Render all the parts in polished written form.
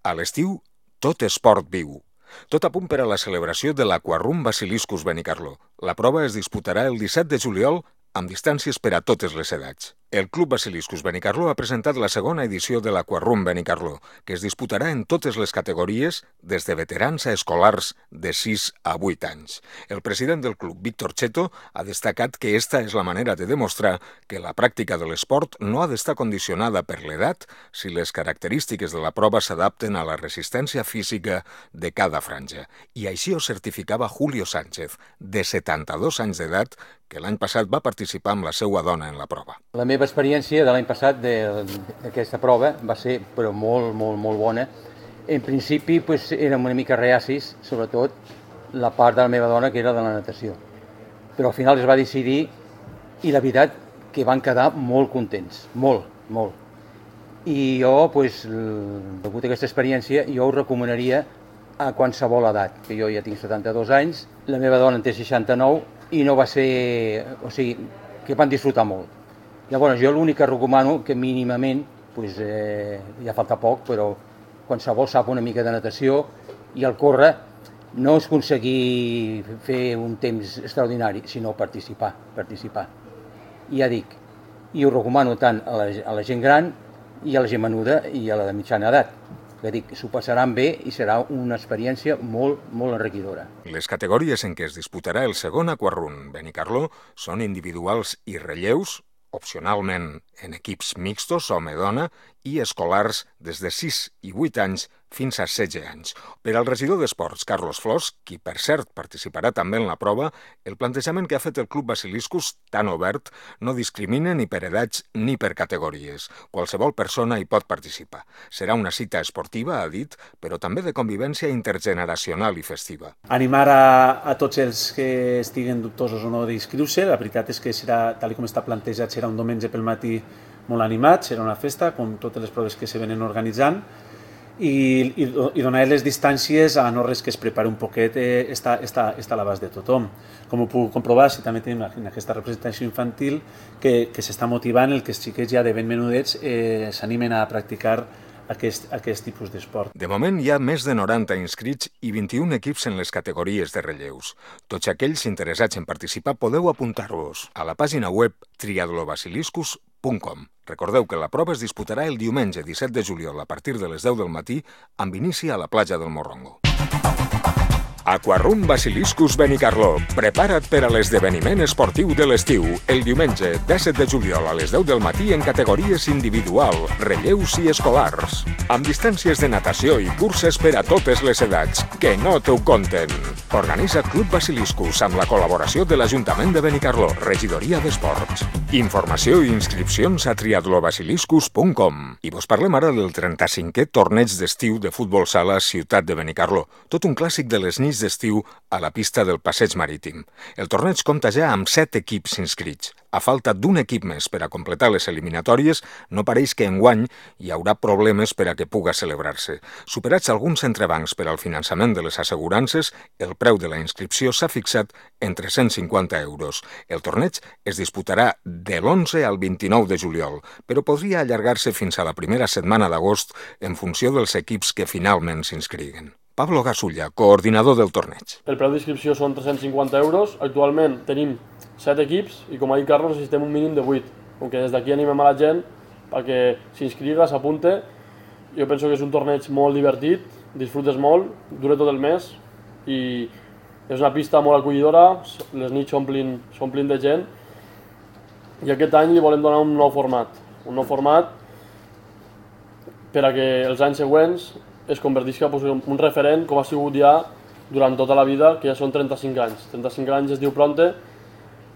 A l'estiu, tot esport viu. Tot a punt per a la celebració de l'Aquarrum Basiliscus Benicarló. La prova es disputarà el 17 de juliol amb distàncies per a totes les edats. El Club Basiliscus Benicarló ha presentat la segona edició de l'Aquarrum Benicarló, que es disputarà en totes les categories, des de veterans a escolars de 6 a 8 anys. El president del club, Víctor Cheto, ha destacat que esta és la manera de demostrar que la pràctica de l'esport no ha d'estar condicionada per l'edat si les característiques de la prova s'adapten a la resistència física de cada franja. I així ho certificava Julio Sánchez, de 72 anys d'edat, que l'any passat va participar amb la seva dona en la prova. La meva experiència de l'any passat d'aquesta prova va ser però molt bona. En principi érem una mica reacis, sobretot la part de la meva dona que era de la natació. Però al final es va decidir i la veritat que van quedar molt contents, molt. I jo, degut a aquesta experiència, jo ho recomanaria a qualsevol edat, que jo ja tinc 72 anys, la meva dona en té 69 i no va ser... O sigui, que van disfrutar molt. Llavors, jo l'únic que recomano, que mínimament, ja falta poc, però qualsevol sap una mica de natació i el córrer no és aconseguir fer un temps extraordinari, sinó participar. I ja dic, i ho recomano tant a la gent gran i a la gent menuda i a la de mitjana edat. Que dic, s'ho passaran bé i serà una experiència molt enriquidora. Les categories en què es disputarà el segon Aquarrum Benicarló són individuals i relleus, opcionalment en equips mixtos, home-dona, i escolars des de 6 i 8 anys fins a 16 anys. Per al regidor d'Esports, Carlos Flors, qui per cert participarà també en la prova, el plantejament que ha fet el Club Basiliscus, tan obert, no discrimina ni per edats ni per categories. Qualsevol persona hi pot participar. Serà una cita esportiva, ha dit, però també de convivència intergeneracional i festiva. Animar a tots els que estiguen dubtosos o no d'inscriure-se. La veritat és que serà, tal com està plantejat, serà un diumenge pel matí molt animat, serà una festa, com totes les proves que se venen organitzant, i donar les distàncies a no res que es prepari un poquet està a l'abast de tothom. Com ho puc comprovar, si també tenim en aquesta representació infantil que s'està motivant el que els xiquets ja de ben menudets s'animen a practicar aquest tipus d'esport. De moment hi ha més de 90 inscrits i 21 equips en les categories de relleus. Tots aquells interessats en participar podeu apuntar-vos a la pàgina web triatlobasiliscus.com. Recordeu que la prova es disputarà el diumenge 17 de juliol a partir de les 10 del matí amb inici a la platja del Morrongo. Aquarrum Basiliscus Benicarló. Prepara't per a l'esdeveniment esportiu de l'estiu, el diumenge 17 de juliol a les 10 del matí en categories individual, relleus i escolars. Amb distàncies de natació i curses per a totes les edats. Que no t'ho conten. Organitza Club Basiliscus amb la col·laboració de l'Ajuntament de Benicarló, Regidoria d'Esports. Informació i inscripcions a triatlobasiliscus.com. I vos parlem ara del 35è torneig d'estiu de futbol sala Ciutat de Benicarló. Tot un clàssic de les nits d'estiu a la pista del Passeig Marítim. El torneig compta ja amb 7 equips inscrits. A falta d'un equip més per a completar les eliminatòries, no pareix que enguany hi haurà problemes per a que puga celebrar-se. Superats alguns entrebancs per al finançament de les assegurances, el preu de la inscripció s'ha fixat en 350 euros. El torneig es disputarà de l'11 al 29 de juliol, però podria allargar-se fins a la primera setmana d'agost en funció dels equips que finalment s'inscriguen. Pablo Gasulla, coordinador del torneig. El preu d'inscripció són 350 euros. Actualment tenim 7 equips i, com ha dit Carlos, necessitem un mínim de 8. Com que des d'aquí animem a la gent perquè s'inscriga, s'apunte. Jo penso que és un torneig molt divertit, disfrutes molt, dura tot el mes i és una pista molt acollidora, les nits s'omplin de gent i aquest any li volem donar un nou format per a que els anys següents es convertisca en un referent com ha sigut ja durant tota la vida, que ja són 35 anys. 35 anys es diu pronte,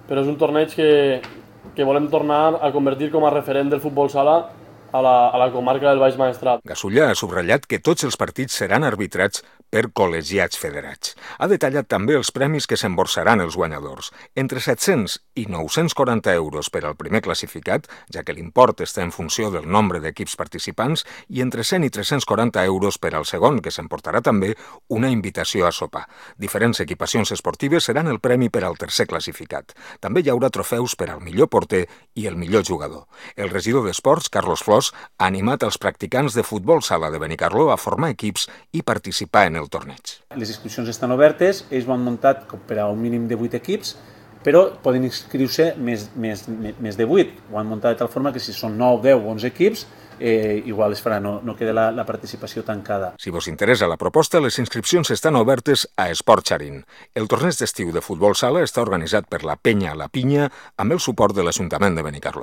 però és un torneig que volem tornar a convertir com a referent del futbol sala a la comarca del Baix Maestrat. Gasulla ha subratllat que tots els partits seran arbitrats per col·legiats federats. Ha detallat també els premis que s'emborsaran els guanyadors. Entre 700 i 940 euros per al primer classificat, ja que l'import està en funció del nombre d'equips participants, i entre 100 i 340 euros per al segon, que s'emportarà també una invitació a sopar. Diferents equipacions esportives seran el premi per al tercer classificat. També hi haurà trofeus per al millor porter i el millor jugador. El regidor d'Esports, Carlos Flors, 2022 ha animat els practicants de futbol sala de Benicarló a formar equips i participar en el torneig. Les inscripcions estan obertes, ells ho han muntat per a un mínim de 8 equips, però poden inscriure-se més de 8. Ho han muntat de tal forma que si són 9, 10 o 11 equips, igual es farà, no queda la participació tancada. Si vos interessa la proposta, les inscripcions estan obertes a Esport Xarín. El torneig d'estiu de futbol sala està organitzat per la Penya La Pinya amb el suport de l'Ajuntament de Benicarló.